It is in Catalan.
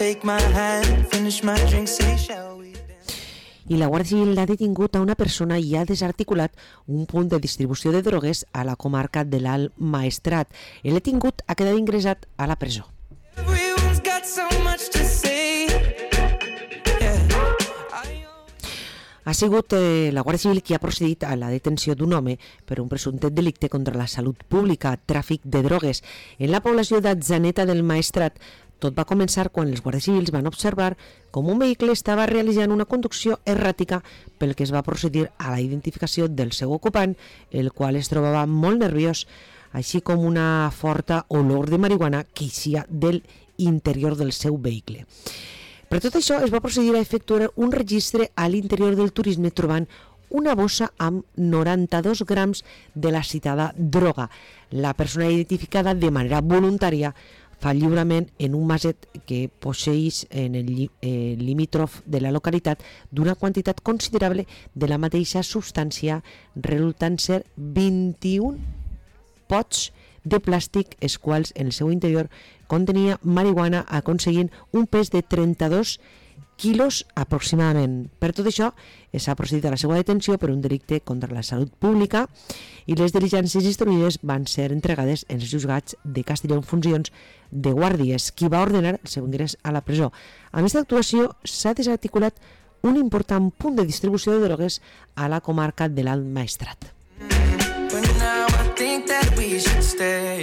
take my hand, finish my drink, say shall we dance? I la Guàrdia Civil ha detingut a una persona i ha desarticulat un punt de distribució de drogues a la comarca de l'Alt Maestrat. El detingut ha quedat ingressat a la presó. Everyone's got so much to say. Ha sigut la Guàrdia Civil qui ha procedit a la detenció d'un home per un presumpte delicte contra la salut pública, tràfic de drogues, en la població d'Atzaneta del Maestrat. Tot va començar quan els guàrdies civils van observar com un vehicle estava realitzant una conducció erràtica, pel que es va procedir a la identificació del seu ocupant, el qual es trobava molt nerviós, així com una forta olor de marihuana que eixia del interior del seu vehicle. Per tot això, es va procedir a efectuar un registre a l'interior del turisme trobant una bossa amb 92 grams de la citada droga. La persona identificada de manera voluntària fa lliurament en un maset que posseeix en el limítrof de la localitat d'una quantitat considerable de la mateixa substància, resultant ser 21 pots de plàstic, els quals en el seu interior contenia marihuana, aconseguint un pes de 32 quilos aproximadament. Per tot això, s'ha procedit a la seva detenció per un delicte contra la salut pública i les diligències instruïdes van ser entregades als juzgats de Castelló en funcions de guàrdies, qui va ordenar el seu ingrés a la presó. Amb aquesta actuació s'ha desarticulat un important punt de distribució de drogues a la comarca de l'Alt Maestrat. But now I think that we should stay.